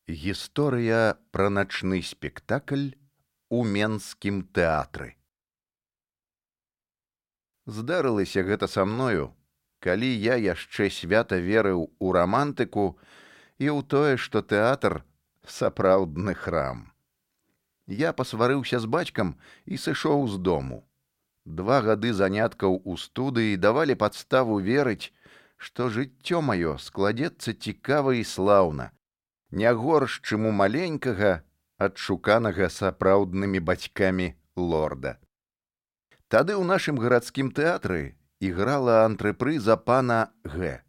Гісторыя пра начны спектакль у менскім тэатры. Здарылася гэта са мною, калі я яшчэ свята верыў у рамантыку і ў тое, што тэатр сапраўдны храм. Я пасварыўся з бацькам і сышоў з дому. 2 гады заняткаў у студыі давалі падставу верыць, што жыццё маё складзецца цікава і слаўна, не горш, чым у маленькага, адшуканага сапраўднымі бацькамі лорда. Тады ў нашым гарадскім тэатры іграла антрепрыза пана Г.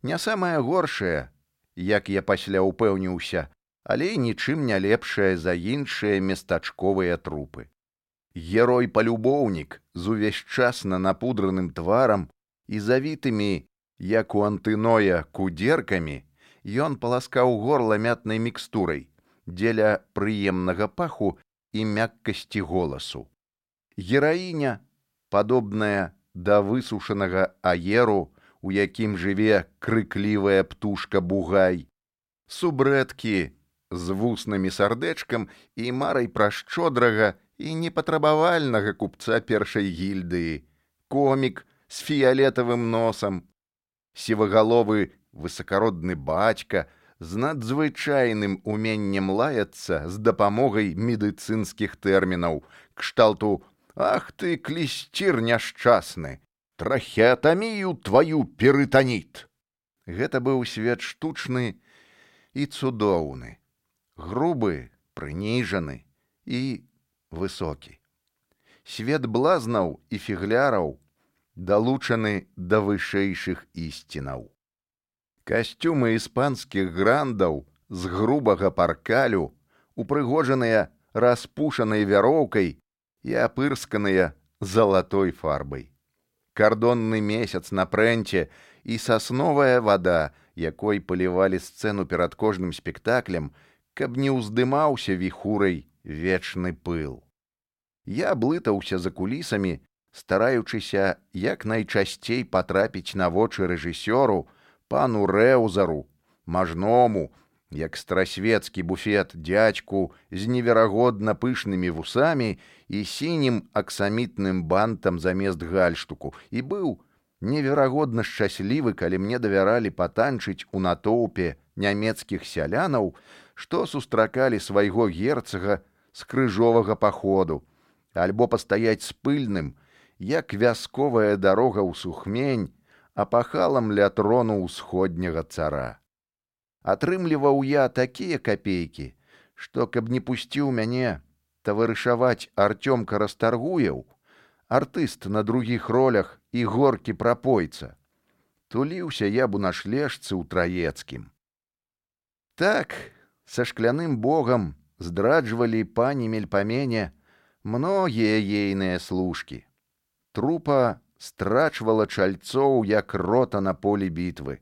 Не самая горшая, як я пасля ўпэўніўся, але нічым не лепшая за іншыя местачковыя трупы. Герой-палюбоўнік з увесьчасна напудраным тварам і завітымі, як у антыноя, кудзеркамі, ён паласкаў горла мятнай мікстурай дзеля прыемнага паху і мяккасці голасу. Гераіня, падобная да высушанага аеру, у якім жыве крыклівая птушка-бугай, субрэткі з вуснымі сардэчкам і марай пра шчодрага і непатрабавальнага купца першай гільдыі, комік з фіялетавым носам, сівагаловы высакародны бацька з надзвычайным уменнем лаяцца з дапамогай медыцынскіх тэрмінаў, кшталту «Ах ты, клісцір няшчасны! Трахеатамію тваю перытаніт!» Гэта быў свет штучны і цудоўны, грубы, прыніжаны і высокі. Свет блазнаў і фігляраў далучаны да вышэйшых ісцінаў. Касцюмы іспанскіх грандаў з грубага паркалю, упрыгожаныя распушанай вяроўкай і апырсканыя залатой фарбай. Кардонны месяц на прэнце і сасновая вада, якой палівалі сцэну перад кожным спектаклем, каб не ўздымаўся віхурай вечны пыл. Я блытаўся за кулісамі, стараючыся як найчасцей патрапіць на вочы рэжысёру, пану Рэўзару, мажному, як старасвецкі буфет дзядзьку з неверагодна пышнымі вусамі і сінім аксамітным бантам замест гальштуку, і быў неверагодна шчаслівы, калі мне давяралі патанчыць у натоўпе нямецкіх сялянаў, што сустракалі свайго герцага з крыжовага паходу, альбо пастаяць з пыльным, як вясковая дарога ў сухмень, апахалам ля трону ўсходняга цара. Атрымліваў я такія капейкі, што, каб не пусціў мяне таварышаваць Артёмка Расторгуеў, артыст на другіх ролях і горкі прапойца, туліўся я б у нашлежцы ў Траецкім. Так, са шкляным богам здраджвалі пані Мельпамене многія ейныя служкі. Трупа страчвала чальцоў, як рота на полі бітвы.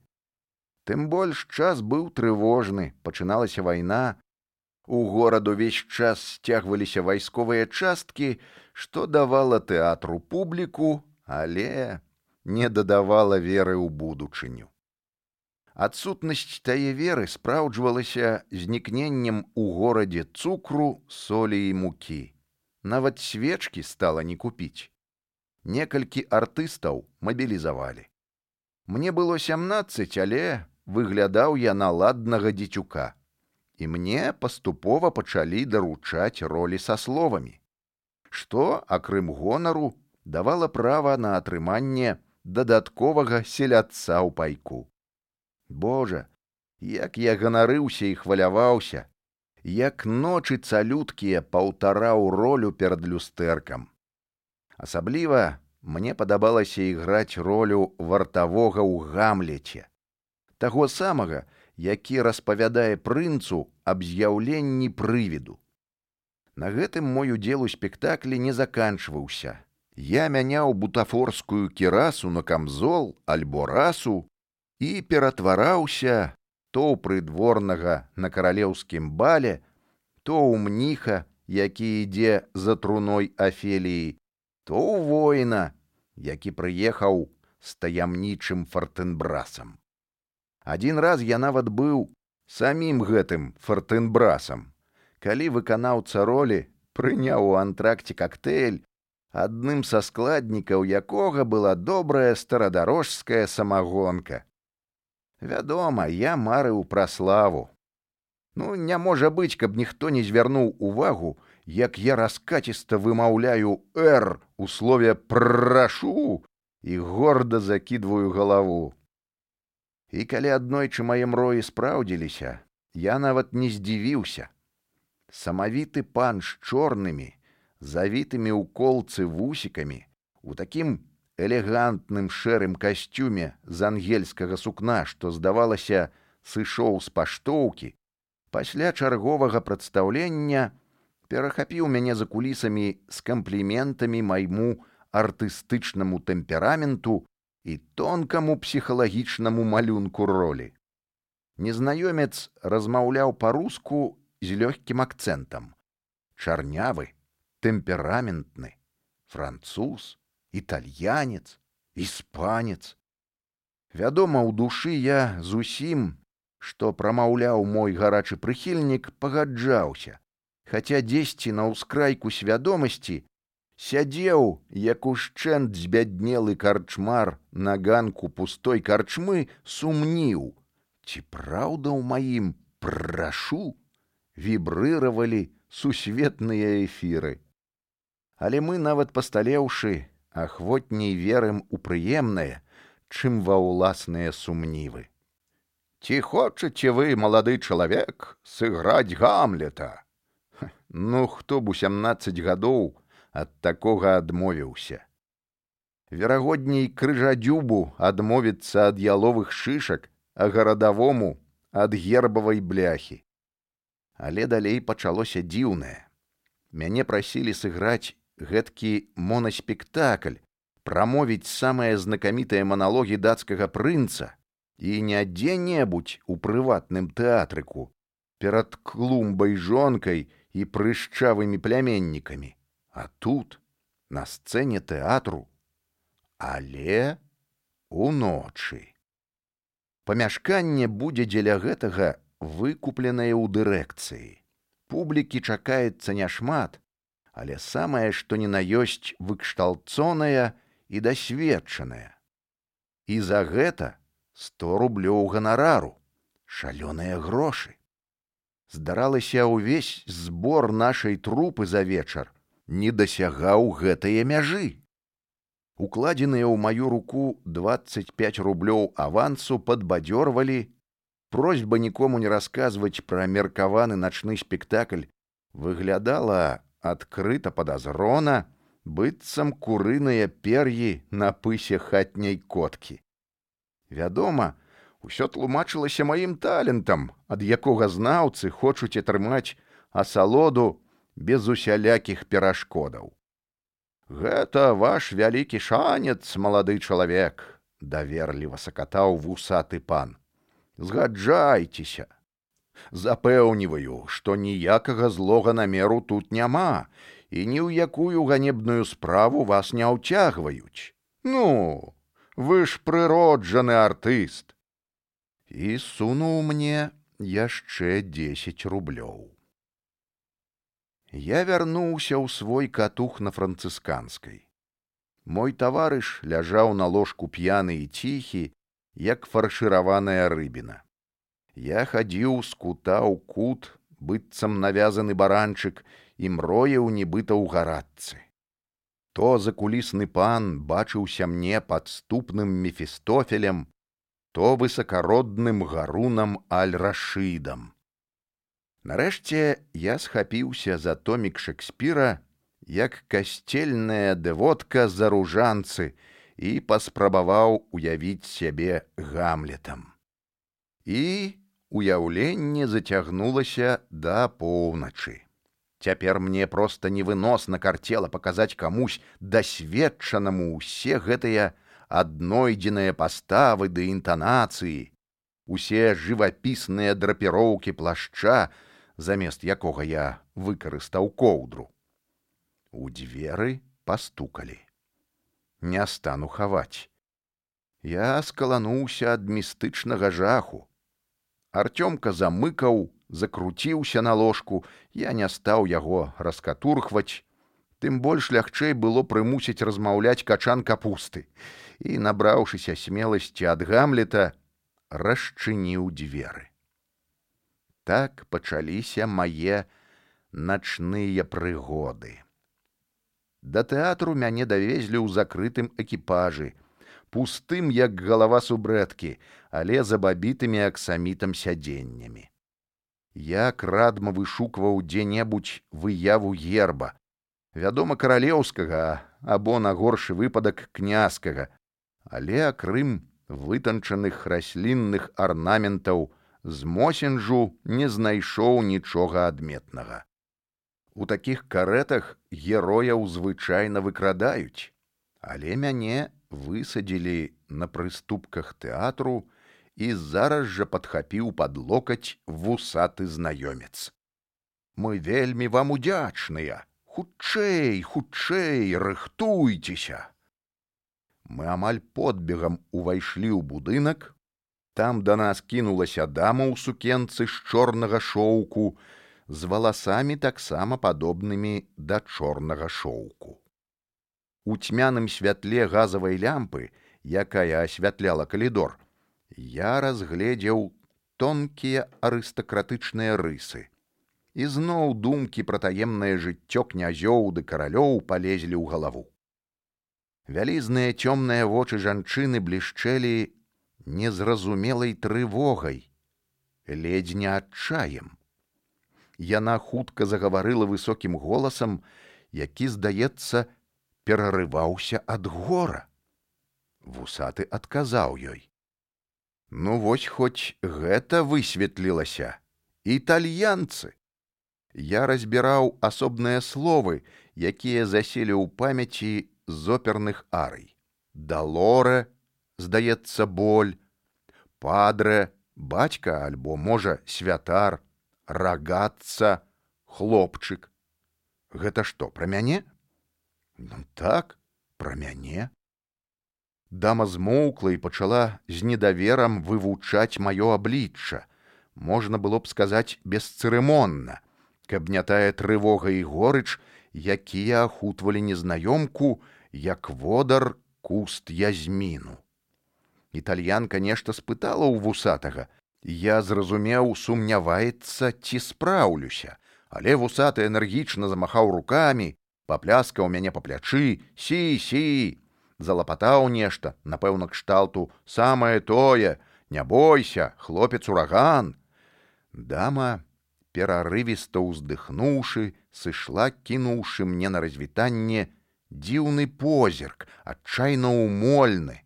Тым больш час быў трывожны, пачыналася вайна, у горад увесь час сцягваліся вайсковыя часткі, што давала тэатру публіку, але не дадавала веры ў будучыню. Адсутнасць тае веры спраўджвалася знікненнем у горадзе цукру, солі і мукі. Нават свечкі стала не купіць. Некалькі артыстаў мабілізавалі. Мне было 17, але выглядаў я на ладнага дзецюка. І мне паступова пачалі даручаць ролі са словамі, што, акрым гонару, давала права на атрыманне дадатковага селядца ў пайку. Божа, як я ганарыўся і хваляваўся, як ночы цалюткія паўтараў ролю перад люстэркам. Асабліва мне падабалася іграць ролю вартавога ў Гамлеце, таго самага, які распавядае прынцу аб з'яўленні прывіду. На гэтым мой удзел у спектаклі не заканчваўся. Я мяняў бутафорскую кірасу на камзол альбо расу і ператвараўся то ў прыдворнага на каралеўскім бале, то ў мніха, які ідзе за труной Афеліі, то ў воіна, які прыехаў з таямнічым Фартэнбрасам. Адзін раз я нават быў Самім гэтым фортынбрасам, калі выканаўца ролі прыняў у антракце кактэйль, адным са складнікаў якога была добрая старадарожская самагонка. Вядома, я марыў пра славу. Не можа быць, каб ніхто не звярнуў увагу, як я раскаціста вымаўляю «р» у слове «прашу» і горда закідваю галаву. І калі аднойчы мае мроі спраўдзіліся, я нават не здзівіўся. Самавіты пан з чорнымі, завітымі ў колцы вусікамі, у такім элегантным шэрым касцюме з ангельскага сукна, што, здавалася, сышоў з паштоўкі, пасля чарговага прадстаўлення перахапіў мяне за кулісамі з кампліментамі майму артыстычнаму тэмпераменту і тонкаму псіхалагічнаму малюнку ролі. Незнаёмец размаўляў па-руску з лёгкім акцэнтам. Чарнявы, тэмпераментны, француз, італьянец, іспанец. Вядома, у душы я зусім, што прамаўляў мой гарачы прыхільнік, пагаджаўся, хаця дзесьці на ўскрайку свядомасці сядзеў, як ушчэнт збяднелы карчмар на ганку пустой карчмы, сумніў, ці праўда ў маім «прашу» вібрыравалі сусветныя эфіры. Але мы, нават пасталеўшы, ахвотней верым у прыемнае, чым ва ўласныя сумнівы. «Ці хочаце вы, малады чалавек, сыграць Гамлета?» Хто б у 17 гадоў ад такога адмовіўся? Верагодней крыжадзюбу адмовіцца ад яловых шышак, а гарадавому ад гербавай бляхі. Але далей пачалося дзіўнае. Мяне прасілі сыграць гэткі монаспектакль, прамовіць самыя знакамітыя маналогі дацкага прынца, і не дзе-небудзь у прыватным тэатрыку, перад клумбай жонкай і прышчавымі пляменнікамі, а тут, на сцэне тэатру, але уночы. Памяшканне будзе дзеля гэтага выкупленае ў дырэкцыі. Публікі чакаецца няшмат, але самае, што ні на ёсць, выкшталцоная і дасведчаная. І за гэта 100 рублёў ганарару, шалёныя грошы. Здаралася, ўвесь збор нашай трупы за вечар не дасягаў гэтае мяжы. Укладзеныя ў маю руку 25 рублёў авансу падбадзёрвалі, просьба нікому не расказваць пра меркаваны начны спектакль выглядала адкрыта падазрона, быццам курыныя пер'і на пысе хатняй коткі. Вядома, усё тлумачылася маім талентам, ад якога знаўцы хочуць атрымаць асалоду без усялякіх перашкодаў. «Гэта ваш вялікі шанец, малады чалавек», — даверліва сакатаў вусаты пан. «Згаджайцеся. Запэўніваю, што ніякага злога намеру тут няма, і ні ў якую ганебную справу вас не ўцягваюць. Вы ж прыроджаны артыст». І сунуў мне яшчэ 10 рублёў. Я вярнуўся ў свой катух на францысканскай. Мой таварыш ляжаў на ложку п'яны і ціхі, як фаршыраваная рыбіна. Я хадзіў з кута ў кут, быццам навязаны баранчык, і мроіў нібыта ў гарачцы. То закулісны пан бачыўся мне падступным Мефістофелем, то высакародным гарунам Аль-Рашыдам. Нарэшце я схапіўся за томік Шекспіра, як касцельная дэвотка за ружанцы, і паспрабаваў уявіць сябе Гамлетам. І уяўленне зацягнулася да поўначы. Цяпер мне проста невыносна карцела паказаць камусь дасведчанаму ўсе гэтыя аднойдзеныя паставы ды інтанацыі, усе жывапісныя драпіроўкі плашча, замест якога я выкарыстаў коўдру. У дзверы пастукалі. Не стану хаваць. Я скалануўся ад містычнага жаху. Артёмка замыкаў, закруціўся на ложку, я не стаў яго раскатурхваць. Тым больш лягчэй было прымусіць размаўляць качан капусты. І, набраўшыся смеласці ад Гамлета, расчыніў дзверы. Так пачаліся мае начныя прыгоды. Да тэатру мяне давезлі ў закрытым экіпажы, пустым, як галава субрэткі, але забабітымі аксамітам сядзеннямі. Я крадма вышукваў дзе-небудзь выяву герба, вядома, каралеўскага, або, на горшы выпадак, князькага, але акрым вытанчаных раслінных арнаментаў з мосінжу не знайшоў нічога адметнага. У такіх карэтах герояў звычайна выкрадаюць, але мяне высадзілі на прыступках тэатру і зараз жа падхапіў пад локаць вусаты знаёмец. Мы вельмі вам удзячныя, хутчэй, хутчэй, рыхтуйцеся. Мы амаль подбегам увайшлі ў будынак, там да нас кінулася дама ў сукенцы з чорнага шоўку, з валасамі таксама падобнымі да чорнага шоўку. У цьмяным святле газавай лямпы, якая асвятляла калідор, я разгледзеў тонкія арыстакратычныя рысы. І зноў думкі пра таемнае жыццё князёў ды каралёў палезлі ў галаву. Вялізныя цёмныя вочы жанчыны блішчэлі незразумелай трывогай, ледзь не адчаем. Яна хутка загаварыла высокім голасам, які, здаецца, перарываўся ад гора. Вусаты адказаў ёй. Ну вось хоць гэта высветлілася. Італьянцы! Я разбіраў асобныя словы, якія заселі ў памяці з оперных арый. Далоре, здаецца, боль, падре, бацька альбо, можа, святар, рагатца, хлопчык. Гэта што, пра мяне? Ну так, пра мяне. Дама змоўкла і пачала з недаверам вывучаць маё аблічча. Можна было б сказаць бесцырымонна, каб не тая трывога і горыч, якія ахутвалі незнаёмку, як водар куст язміну. Італьянка нешта спытала ў вусатага. Я зразумеў, сумняваецца, ці спраўлюся, але вусаты энергічна замахаў рукамі, папляскаў мяне па плячы, сі, залапатаў нешта, напэўна, кшталту, самае тое, не бойся, хлопец-ураган. Дама, перарывіста ўздыхнуўшы, сышла, кінуўшы мне на развітанне дзіўны позірк, адчайна умольны,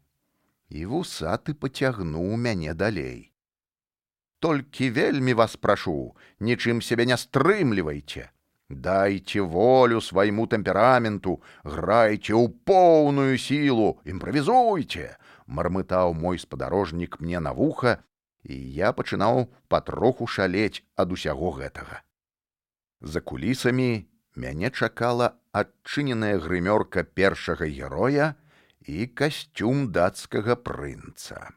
і вусаты пацягнуў мяне далей. Толькі вельмі вас прашу, нічым сябе не стрымлівайце. Дайце волю свайму тэмпераменту, грайце ў поўную сілу, імправізуйце, мармытаў мой спадарожнік мне на вуха, і я пачынаў патроху шалець ад усяго гэтага. За кулісамі мяне чакала адчыненая грымёрка першага героя і касцюм дацкага прынца.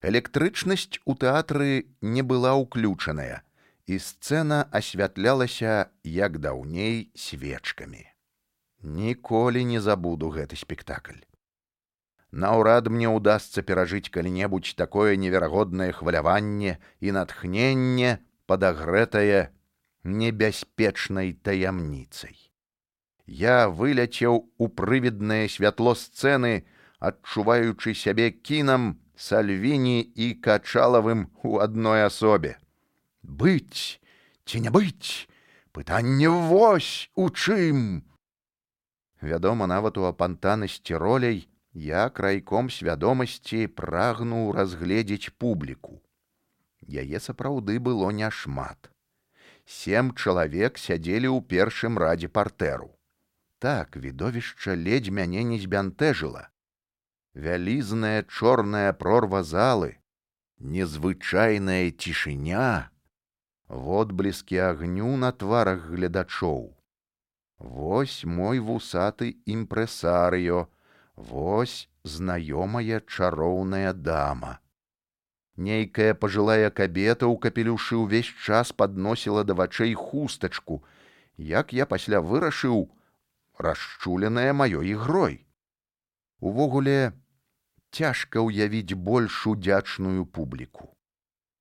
Электрычнасць у тэатры не была ўключаная, і сцэна асвятлялася, як даўней, свечкамі. Ніколі не забуду гэты спектакль. Наўрад мне ўдасца перажыць калі-небудзь такое неверагоднае хваляванне і натхненне, падагрэтае небяспечнай таямніцай. Я выляцеў у прывіднае святло сцэны, адчуваючы сябе кінам, Сальвіні і Качалавым у адной асобе. Быць ці не быць? Пытанне вось у чым. Вядома, нават у апантанасці роляй я крайком свядомасці прагнуў разгледзець публіку. Яе сапраўды было няшмат. 7 чалавек сядзелі ў першым радзе партэру. Так, відовішча ледзь мяне не збянтэжыла. Вялізная чорная прорва залы, незвычайная цішыня, водбліскі агню на тварах гледачоў. Вось мой вусаты імпрэсарыё, вось знаёмая чароўная дама. Нейкая пажылая кабета ў капелюшы ўвесь час падносіла да вачэй хустачку, як я пасля вырашыў, расчуленая маёй ігрой. Увогуле, цяжка ўявіць больш удзячную публіку.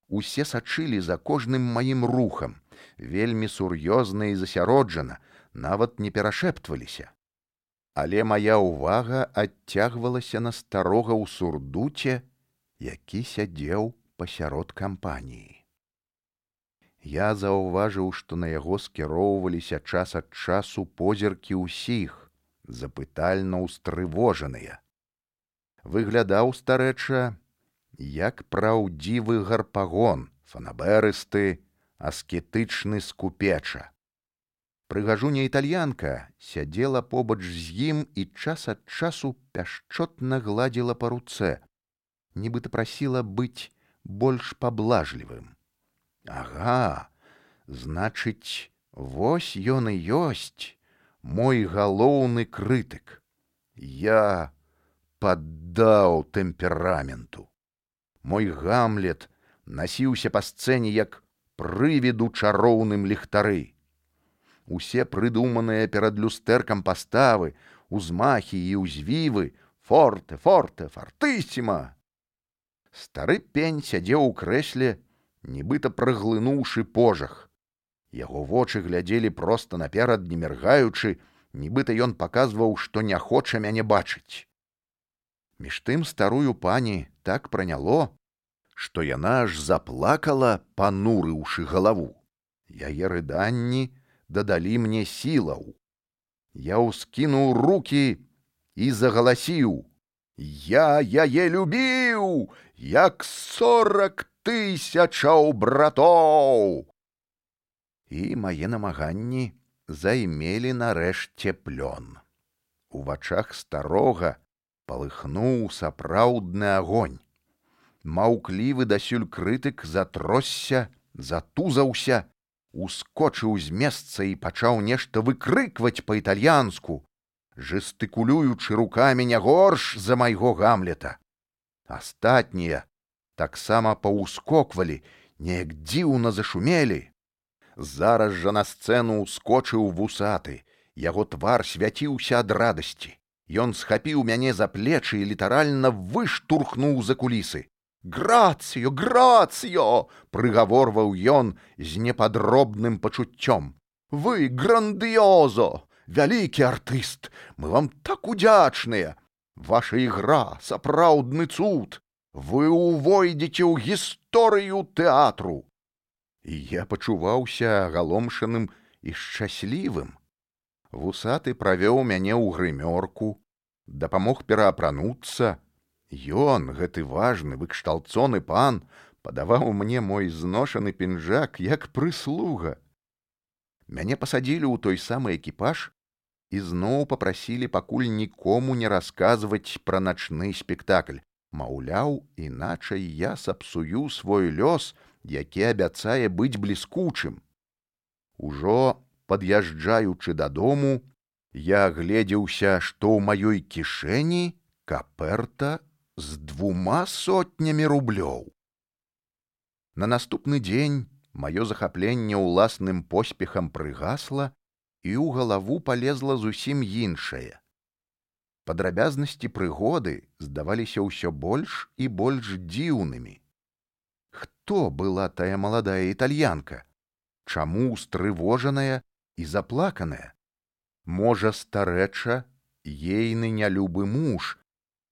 Усе сачылі за кожным маім рухам, вельмі сур'ёзна і засяроджана, нават не перашэптваліся. Але мая ўвага адцягвалася на старога ў сурдуце, які сядзеў пасярод кампаніі. Я заўважыў, што на яго скіроўваліся час ад часу позіркі ўсіх, запытальна ўстрывожаныя. Выглядаў старэча, як праўдзівы гарпагон, фанаберысты, аскетычны скупеча. Прыгажуня італьянка сядзела побач з ім і час ад часу пяшчотна гладзіла па руцэ, нібыта прасіла быць больш паблажлівым. Ага, значыць, вось ён і ёсць, мой галоўны крытык. Я паддаў тэмпераменту. Мой Гамлет насіўся па сцэне як прывід у чароўным ліхтары. Усе прыдуманыя перад люстэркам паставы, узмахі і ўзвівы, форте, форте, фартысіма. Стары пень сядзеў у крэсле, нібыта праглынуўшы пожах. Яго вочы глядзелі проста наперад, не міргаючы, нібыта ён паказваў, што не хоча мяне бачыць. Між тым старую пані так праняло, што яна аж заплакала, панурыўшы галаву. Яе рыданні дадалі мне сілаў. Я ўскінуў рукі і загаласіў: «Я яе любіў, як 40 000 братоў!» І мае намаганні займелі нарэшце плён. У вачах старога палыхнуў сапраўдны агонь. Маўклівы дасюль крытык затросся, затузаўся, ускочыў з месца і пачаў нешта выкрыкваць па-італьянску, жэстыкулюючы рукамі не горш за майго Гамлета. Астатнія таксама паўскоквалі, неяк дзіўна зашумелі. Зараз жа на сцэну ўскочыў вусаты, яго твар свяціўся ад радасці. Ён схапіў мяне за плечы і літаральна выштурхнуў за кулісы. «Грацыё, грацыё!» — прыгаворваў ён з непадробным пачуццём. «Вы грандыёзо! Вялікі артыст! Мы вам так удзячныя! Ваша ігра — сапраўдны цуд! Вы увойдзеце ў гісторыю тэатру!» І я пачуваўся агаломшаным і шчаслівым. Вусаты правёў мяне ў грымёрку, дапамог пераапрануцца. Ён, гэты важны, выкшталцоны пан, падаваў мне мой зношаны пінжак як прыслуга. Мяне пасадзілі ў той самы экіпаж і зноў папрасілі пакуль нікому не расказваць пра начны спектакль. Маўляў, іначай я сапсую свой лёс, які абяцае быць бліскучым. Ужо пад'язджаючы дадому, я гледзеўся, што ў маёй кішэні каперта з 200 рублёў. На наступны дзень маё захапленне ўласным поспехам прыгасла, і ў галаву палезла зусім іншае. Падрабязнасці прыгоды здаваліся ўсё больш і больш дзіўнымі. Хто была тая маладая італьянка? Чаму устрывожаная і заплаканая? Можа, старэча, ейны нялюбы муж,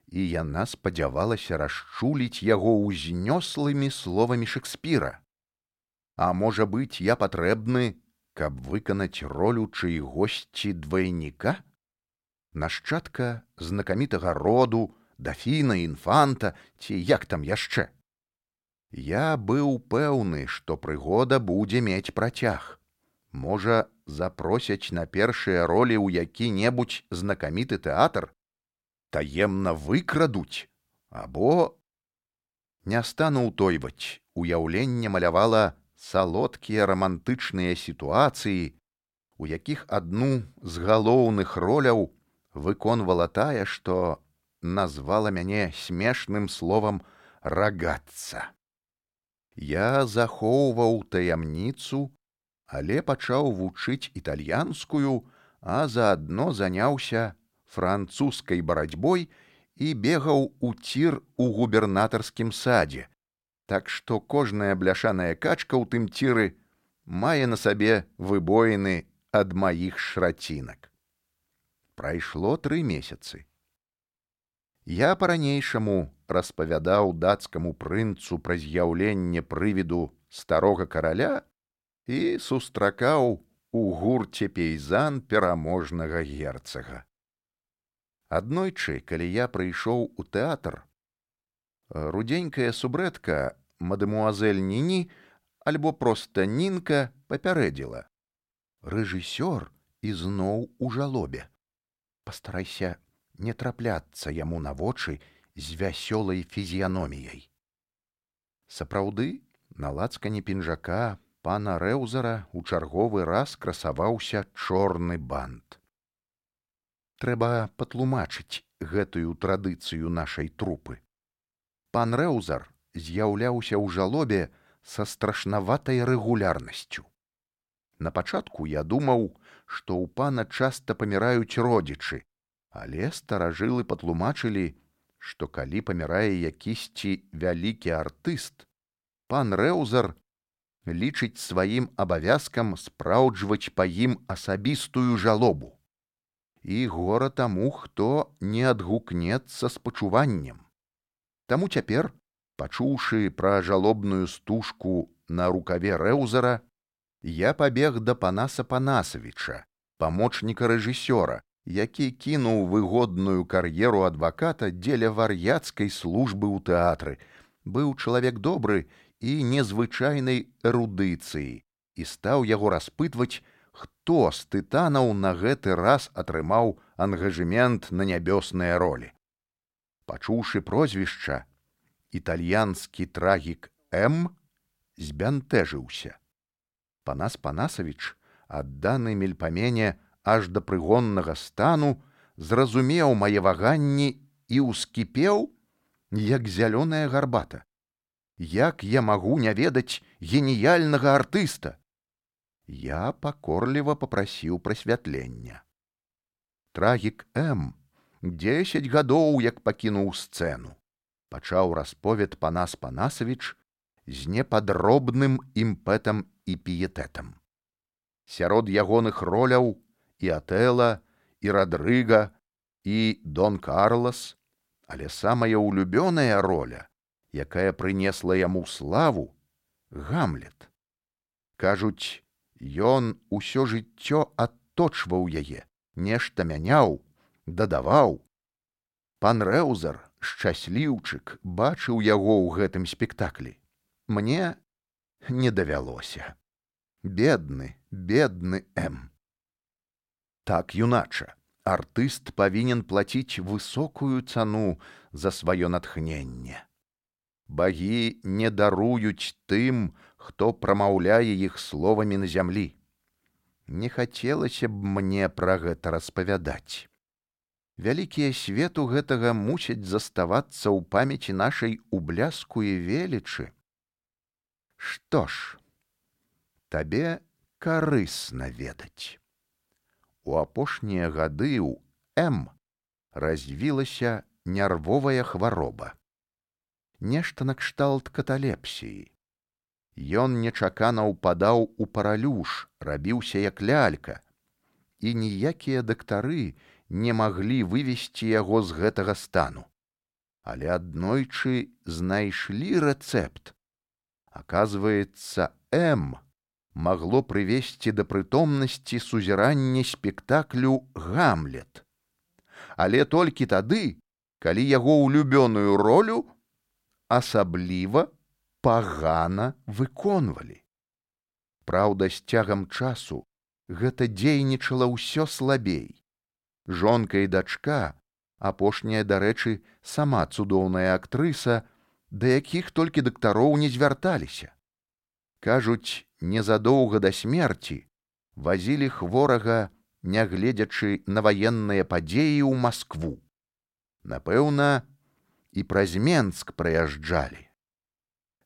і яна спадзявалася расчуліць яго ўзнёслымі словамі Шекспіра. А можа быць, я патрэбны, каб выканаць ролю чыйгосьці двайніка? Нашчадка знакамітага роду, дафіна, інфанта, ці як там яшчэ? Я быў пэўны, што прыгода будзе мець працяг. Можа, запросяць на першыя ролі ў які-небудзь знакаміты тэатр? Таемна выкрадуць, або... Не стану ўтойваць, уяўленне малявала салодкія рамантычныя сітуацыі, у якіх адну з галоўных роляў выконвала тая, што назвала мяне смешным словам «рагатца». Я захоўваў таямніцу, але пачаў вучыць італьянскую, а заадно заняўся французскай барацьбой і бегаў у цір у губернатарскім садзе. Так што кожная бляшаная качка ў тым ціры мае на сабе выбоіны ад маіх шрацінак. Прайшло 3 месяцы. Я па-ранейшаму распавядаў дацкаму прынцу пра з'яўленне прывіду старога караля і сустракаў у гурце пейзан пераможнага герцага. Аднойчы, калі я прыйшоў у тэатр, рудзенькая субрэтка, мадэмуазель Ніні, альбо проста Нінка, папярэдзіла: рэжысёр ізноў у жалобе. Пастарайся не трапляцца яму на вочы з вясёлай фізіяноміяй. Сапраўды, на лацкане пінжака пана Рэўзара у чарговы раз красаваўся чорны бант. Трэба патлумачыць гэтую традыцыю нашай трупы. Пан Рэўзар з'яўляўся ў жалобе са страшнаватай рэгулярнасцю. Напачатку я думаў, што ў пана часта паміраюць родзічы, але старажылы патлумачылі, што калі памірае якісьці вялікі артыст, пан Рэўзар лічыць сваім абавязкам спраўджваць па ім асабістую жалобу. І гора таму, хто не адгукнецца з пачуваннем. Таму цяпер, пачуўшы пра жалобную стужку на рукаве Рэўзара, я пабег да Панаса Панасавіча, памочніка рэжысёра, які кінуў выгодную кар'еру адваката дзеля вар'яцкай службы ў тэатры, быў чалавек добры і незвычайнай эрудыцыі, і стаў яго распытваць, хто з тытанаў на гэты раз атрымаў ангажэмент на нябёсныя ролі. Пачуўшы прозвішча, італьянскі трагік М збянтэжыўся. Панас Панасавіч, адданы мельпамене аж да прыгоннага стану, зразумеў мае ваганні і ўскіпеў, як зялёная гарбата. Як я магу не ведаць геніяльнага артыста? Я пакорліва папрасіў прасвятлення. Трагік М 10 гадоў як пакінуў сцэну. Пачаў расповед Панас Панасавіч з непадробным імпэтам і піетэтам. Сярод ягоных роляў і Атэла, і Радрыга, і Дон Карлас, але самая улюбёная роля, якая прынесла яму славу, Гамлет. Кажуць, ён усё жыццё адточваў яе, нешта мяняў, дадаваў. Пан Рэўзар, шчасліўчык, бачыў яго ў гэтым спектаклі. Мне не давялося. Бедны, бедны М. Так, юнача, артыст павінен плаціць высокую цану за сваё натхненне. Багі не даруюць тым, хто прамаўляе іх словамі на зямлі. Не хацелася б мне пра гэта распавядаць. Вялікія свету гэтага мусяць заставацца ў памяці нашай у бляску і велічы. Што ж, табе карысна ведаць. У апошнія гады ў М развілася нервовая хвароба. Нешта накшталт каталепсіі. Ён нечакана ўпадаў у паралюш, рабіўся як лялька, і ніякія дактары не маглі вывесці яго з гэтага стану. Але аднойчы знайшлі рэцэпт. Аказваецца, М магло прывесці да прытомнасці сузірання спектаклю «Гамлет». Але толькі тады, калі яго улюбёную ролю асабліва пагана выконвалі. Праўда, з цягам часу гэта дзейнічала ўсё слабей. Жонка і дачка, апошняя, дарэчы, сама цудоўная актрыса, да якіх толькі дактароў не звярталіся. Кажуць, незадоўга да смерці вазілі хворага, нягледзячы на ваенныя падзеі, ў Маскву. Напэўна, і праз Менск праязджалі.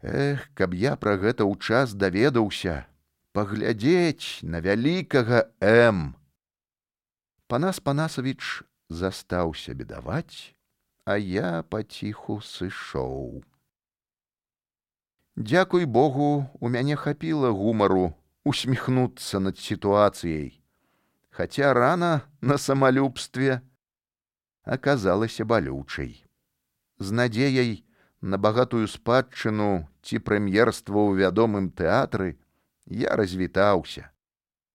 Эх, каб я пра гэта ў час даведаўся, паглядзець на вялікага М. Панас Панасавіч застаўся бедаваць, а я паціху сышоў. Дзякуй Богу, у мяне хапіла гумару усміхнуцца над сітуацыяй, хаця рана на самалюбстве аказалася балючай. З надзеяй на багатую спадчыну ці прэм'ерства ў вядомым тэатры я развітаўся.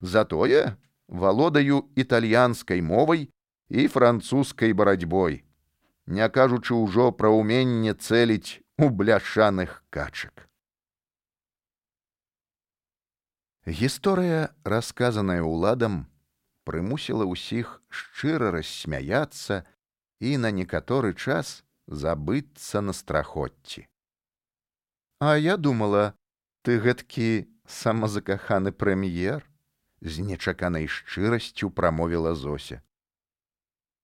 Затое валодаю італьянскай мовай і французскай барацьбой, не кажучы ўжо пра ўменне цэліць у бляшаных качак. Гісторыя, расказаная ўладам, прымусіла ўсіх шчыра рассмяяцца і на некаторы час забыцца на страхоцці. А я думала, ты гэткі самазакаханы прэм'ер, з нечаканай шчырасцю прамовіла Зося.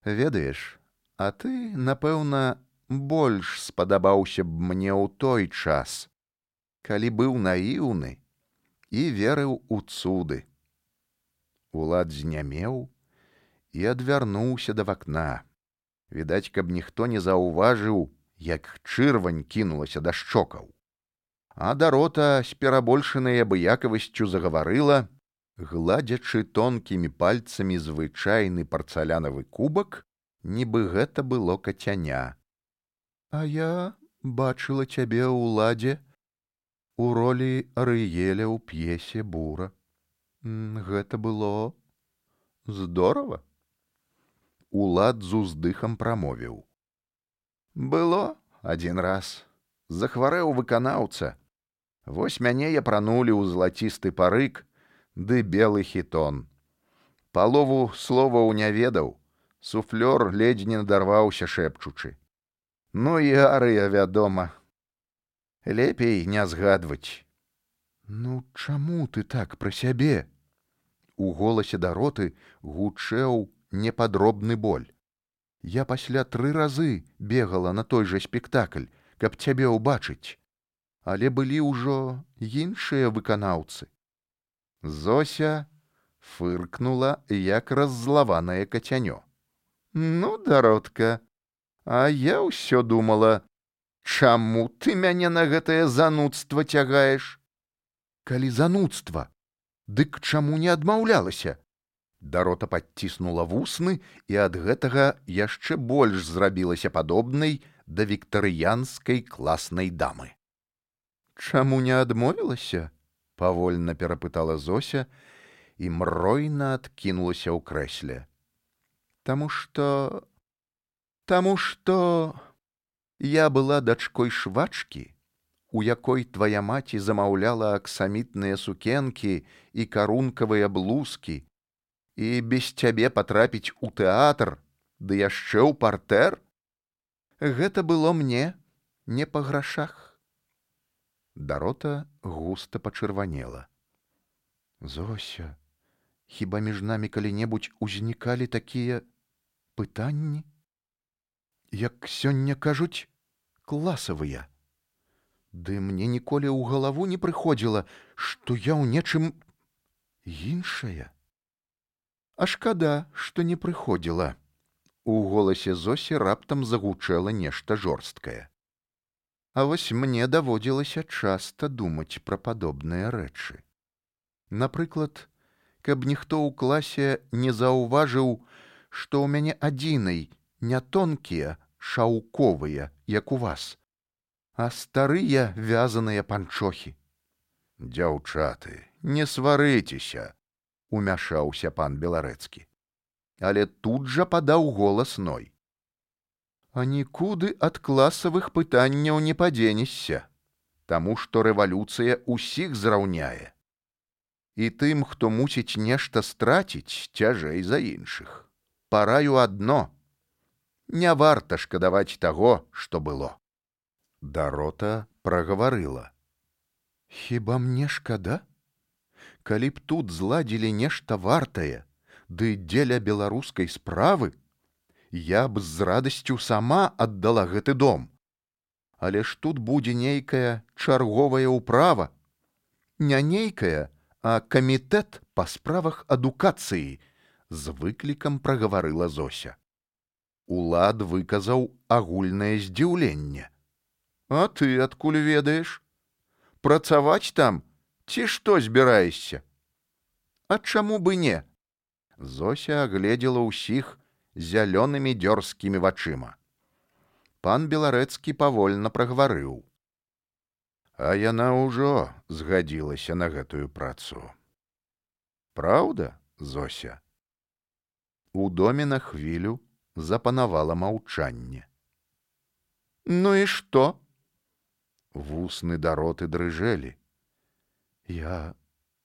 Ведаеш, а ты, напэўна, больш спадабаўся б мне ў той час, калі быў наіўны і верыў у цуды. Улад знямеў і адвярнуўся да вакна. Відаць, каб ніхто не заўважыў, як чырвань кінулася да шчокаў. А Дарота з перабольшанай абыякавасцю загаварыла, гладзячы тонкімі пальцамі звычайны парцалянавы кубак, нібы гэта было кацяня. А я бачыла цябе, Уладзе, у ролі Арыеля ў п'есе «Бура». Гэта было здорава. Улад з уздыхам прамовіў. Было адзін раз. Захварэў выканаўца. Вось мяне япранулі ў залацісты парык ды белы хітон. Палову словаў не ведаў. Суфлёр ледзь не надарваўся шэпчучы. Ну і арыя, вядома. Лепей не згадваць. Ну, чаму ты так пра сябе? У голасе Дароты гучэў непадробны боль. Я пасля 3 разы бегала на той жа спектакль, каб цябе ўбачыць. Але былі ўжо іншыя выканаўцы. Зося фыркнула, як раззлаванае кацянё. Ну, Даротка, а я ўсё думала, чаму ты мяне на гэтае занудства цягаеш? Калі занудства, дык чаму не адмаўлялася? Дарота падціснула вусны і ад гэтага яшчэ больш зрабілася падобнай да віктарыянскай класнай дамы. Чаму не адмовілася? Павольна перапытала Зося і мройна адкінулася ў крэсле. Таму што я была дачкой швачкі, у якой твая маці замаўляла аксамітныя сукенкі і карункавыя блузкі, і без цябе патрапіць у тэатр, ды яшчэ ў партэр? Гэта было мне не па грашах. Дарота густа пачырванела. Зося, хіба між намі калі-небудзь узнікалі такія пытанні? Як сёння кажуць, класавыя. Ды мне ніколі ў галаву не прыходзіла, што я ў нечым іншая. А шкада, што не прыходзіла. У голасе Зосі раптам загучэла нешта жорсткае. А вось мне даводзілася часта думаць пра падобныя рэчы. Напрыклад, каб ніхто ў класе не заўважыў, што ў мяне адзінай не тонкія, шаўковыя, як у вас, а старыя вязаныя панчохі. Дзяўчаты, не сварыцеся, умяшаўся пан Беларэцкі. Але тут жа падаў голас Ной. А нікуды ад класавых пытанняў не падзенешся, таму што рэвалюцыя ўсіх зраўняе. І тым, хто мусіць нешта страціць, цяжэй за іншых. Параю адно. Не варта шкадаваць таго, што было. Дарота прагаварыла. Хіба мне шкада? Калі б тут зладзілі нешта вартае, ды дзеля беларускай справы, я б з радасцю сама аддала гэты дом. Але ж тут будзе нейкая чарговая ўправа. Не нейкая, а камітэт па справах адукацыі, з выклікам прагаварыла Зося. Улад выказаў агульнае здзіўленне. А ты адкуль ведаеш? Працаваць там ці што збіраешся? А чаму бы не? Зося агледзела ўсіх зялёнымі дзёрзкімі вачыма. Пан Беларэцкі павольна прагаварыў. А яна ўжо згадзілася на гэтую працу. Праўда, Зося? У доме на хвілю запанавала маўчанне. Ну і што? Вусны Дароты дрыжэлі. Я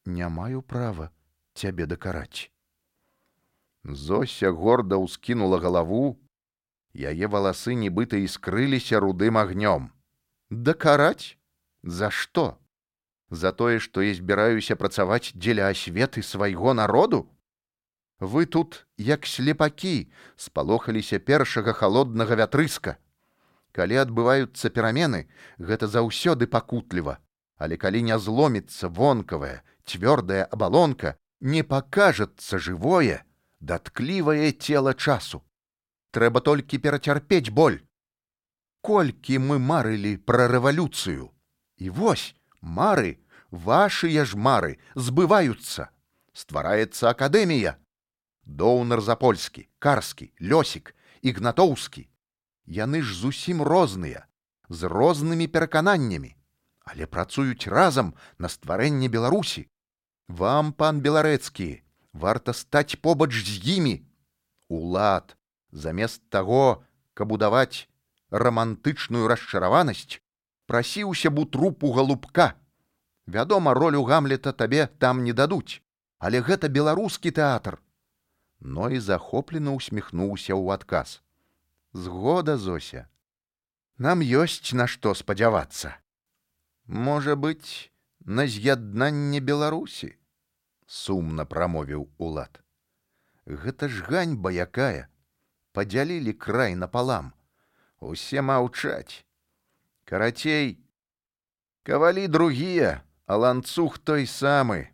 не маю права цябе дакараць. Зося горда ўскінула галаву, яе валасы нібыта іскрыліся рудым агнём. Дакараць? За што? За тое, што я збіраюся працаваць дзеля асветы свайго народу? Вы тут, як слепакі, спалохаліся першага халоднага вятрыска. Калі адбываюцца перамены, гэта заўсёды пакутліва, але калі не зломіцца вонкавая, цвёрдая абалонка, не пакажацца жывое, датклівае цела часу. Трэба толькі перацярпець боль. Колькі мы марылі пра рэвалюцыю. І вось, мары, вашыя ж мары, збываюцца. Ствараецца акадэмія. Доўнар Запольскі, Карскі, Лёсік, Ігнатоўскі. Яны ж зусім розныя, з рознымі перакананнямі, але працуюць разам на стварэнне Беларусі. Вам, пан Беларэцкі, варта стаць побач з імі. Улад, замест таго, каб удаваць рамантычную расчараванасць, прасіўся б у трупу галубка. Вядома, ролю Гамлета табе там не дадуць, але гэта беларускі тэатр. Ной захоплена усміхнуўся ў адказ. Згода, Зося. Нам ёсць на што спадзявацца. Можа быць, на з'яднанне Беларусі? Сумна прамовіў Улад. Гэта ж ганьба якая. Падзялілі край напалам. Усе маўчаць. Карацей, кавалі другія, а ланцуг той самы.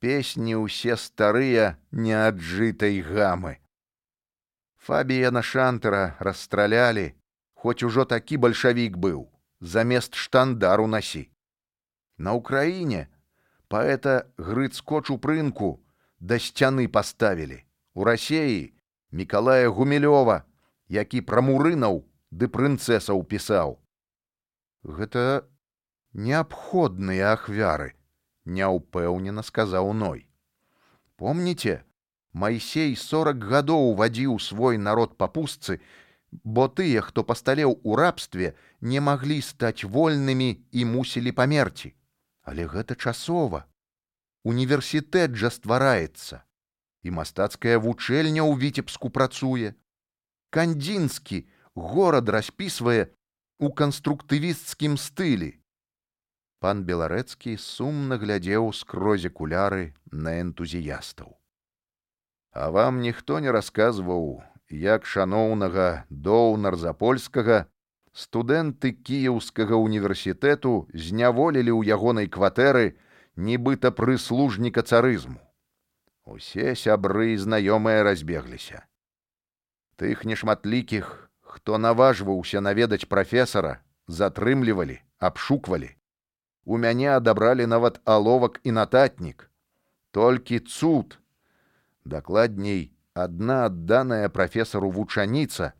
Песні ўсе старыя неаджытай гамы. Фабіяна Шантера расстралялі, хоць ужо такі бальшавік быў, замест штандару насі. На Ўкраіне паэта Грыцко-Чупрынку да сцяны паставілі. У Расеі Мікалая Гумілёва, які пра мурынаў ды прынцэсаў пісаў. Гэта неабходныя ахвяры, няўпэўнена сказаў Ной. Помніце, Майсей 40 гадоў вадзіў свой народ па пустцы, бо тыя, хто пасталеў у рабстве, не маглі стаць вольнымі і мусілі памерці. Але гэта часова. Універсітэт жа ствараецца. І мастацкая вучэльня ў Віцебску працуе. Кандзінскі горад распісвае у канструктывісцкім стылі. Пан Беларэцкі сумна глядзеў скрозь акуляры на энтузіястаў. А вам ніхто не расказваў, як шаноўнага Доўнар Запольскага студэнты Кіеўскага універсітэту зняволілі ў ягонай кватэры нібыта прыслужніка царызму. Усе сябры і знаёмыя разбегліся. Тых нешматлікіх, хто наважваўся наведаць прафесара, затрымлівалі, абшуквалі. У мяне адабралі нават аловак і нататнік. Толькі цуд. Дакладней, адна адданая прафесару вучаніца,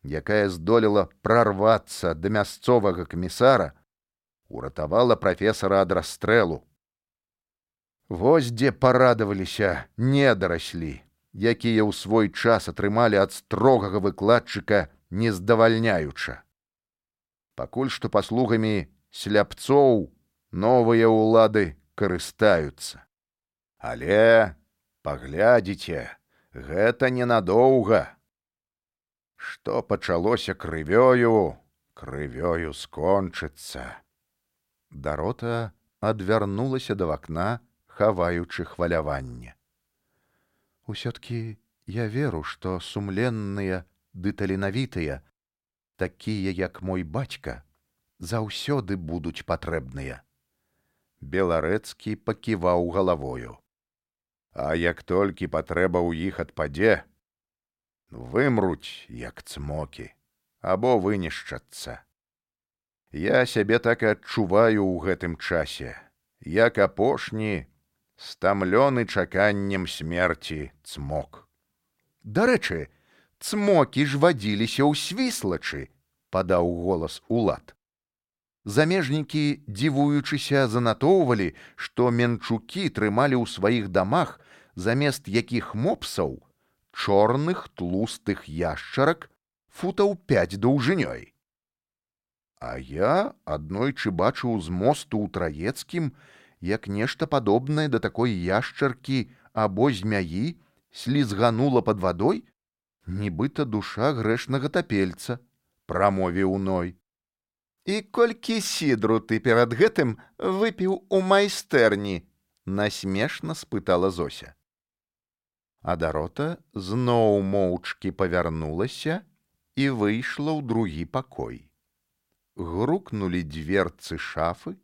якая здолела прарвацца да мясцовага камісара, уратавала прафесара ад расстрэлу. Вось дзе парадаваліся недараслі, якія ў свой час атрымалі ад строгага выкладчыка не здавальняюча. Пакуль што паслугамі сляпцоў новыя ўлады карыстаюцца. Але паглядзіце, гэта ненадоўга. Што пачалося крывёю, крывёю скончыцца. Дарота адвярнулася да вакна, хаваючы хваляванне. Усё-ткі я веру, што сумленныя ды таленавітыя, такія, як мой бацька, заўсёды будуць патрэбныя. Беларэцкі паківаў галавою. А як толькі патрэба ў іх адпадзе, вымруць, як цмокі, або вынішчацца. Я сябе так і адчуваю ў гэтым часе, як апошні, стамлёны чаканнем смерці цмок. Дарэчы, цмокі ж вадзіліся ў Свіслачы, падаў голас Улад. Замежнікі, дзівуючыся, занатоўвалі, што менчукі трымалі ў сваіх дамах замест якіх мопсаў чорных тлустых яшчарак футаў 5 даўжынёй. А я аднойчы бачыў з мосту ў Траецкім, як нешта падобнае да такой яшчаркі або змяі слізганула пад вадой, нібыта душа грэшнага тапельца, прамовіў Ной. І колькі сідру ты перад гэтым выпіў у майстэрні? Насмешна спытала Зося. А Дарота зноў моўчкі павярнулася і выйшла ў другі пакой. Грукнулі дзверцы шафы,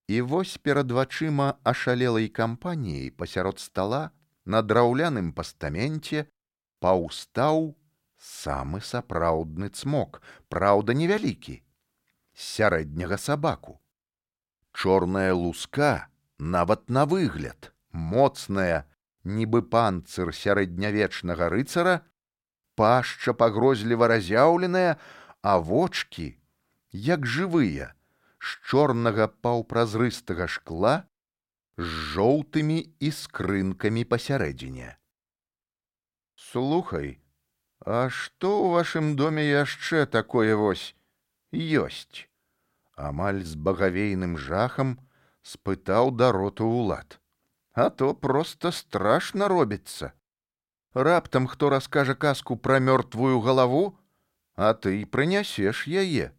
і вось перад вачыма ашалелай кампаніяй пасярод стала на драўляным пастаменце паўстаў самы сапраўдны цмок, праўда, невялікі, з сярэдняга сабаку. Чорная луска, нават на выгляд, моцная, нібы панцыр сярэднявечнага рыцара, пашча пагрозліва разяўленая, а вочкі, як жывыя, з чорнага паўпразрыстага шкла, з жоўтымі іскрынкамі пасярэдзіне. Слухай, а што ў вашым доме яшчэ такое вось ёсць? Амаль з багавейным жахам спытаў Дароту Улад. А то проста страшна робіцца. Раптам хто раскажа казку пра мёртвую галаву, а ты прынясеш яе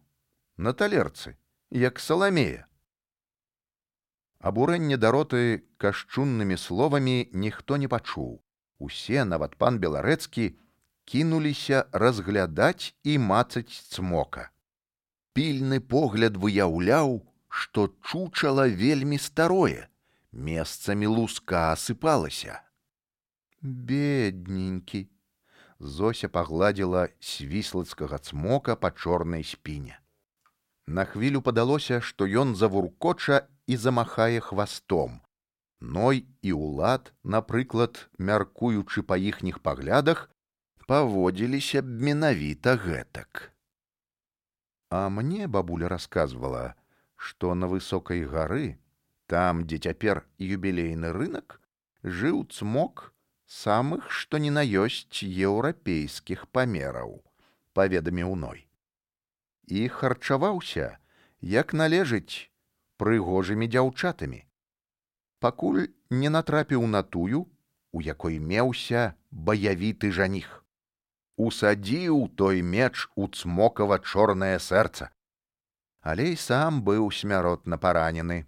на талерцы, як Саламея. Абурэнне Дароты кашчуннымі словамі ніхто не пачуў. Усе, нават пан Беларэцкі, кінуліся разглядаць і мацаць цмока. Пільны погляд выяўляў, што чучала вельмі старое, месцамі луска асыпалася. Бедненькі. Зося пагладзіла свіслацкага цмока па чорнай спіне. На хвілю падалося, што ён завуркоча і замахае хвастом. Ной і Улад, напрыклад, мяркуючы па іхніх паглядах, паводзіліся б менавіта гэтак. А мне бабуля расказвала, што на высокай гары, там, дзе цяпер юбілейны рынак, жыў цмок самых, што ні на ёсць еўрапейскіх памераў, паведаміў Ной. І харчаваўся, як належыць, прыгожымі дзяўчатамі. Пакуль не натрапіў на тую, у якой меўся баявіты жаніх. Усадзіў той меч у цмокава чорнае сэрца. Але і сам быў смяротна паранены.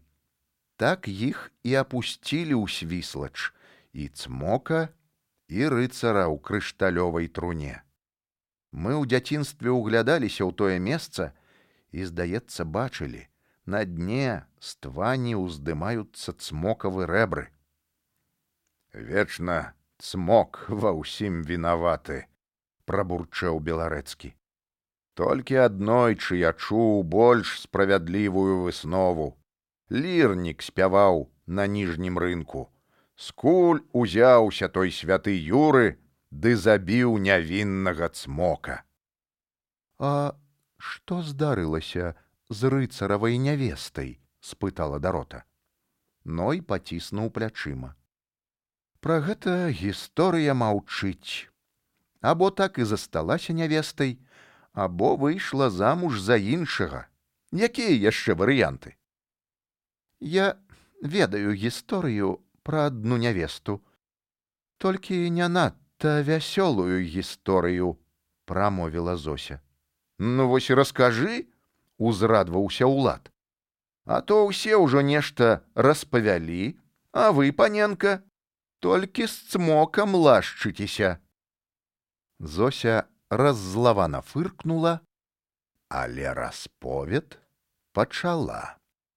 Так іх і апусцілі ў Свіслач, і цмока, і рыцара ў крышталёвай труне. Мы ў дзяцінстве ўглядаліся ў тое месца і, здаецца, бачылі, на дне з твані ўздымаюцца цмокавы рэбры. Вечна цмок ва ўсім вінаваты, прабурчэў Беларэцкі. Толькі аднойчы я чуў больш справядлівую выснову. Лірнік спяваў на ніжнім рынку. Скуль узяўся той святы Юры, ды забіў нявіннага цмока. А што здарылася з рыцаравай нявестай? Спытала Дарота. Ной паціснуў плячыма. Пра гэта гісторыя маўчыць. Або так і засталася нявестай, або выйшла замуж за іншага. Якія яшчэ варыянты? Я ведаю гісторыю пра адну нявесту. Толькі не надта вясёлую гісторыю, прамовіла Зося. Ну вось і раскажы, узрадваўся Улад. А то ўсе ўжо нешта распавялі, а вы, паненка, толькі з цмокам лашчыцеся. Зося раззлавана фыркнула, але расповед пачала.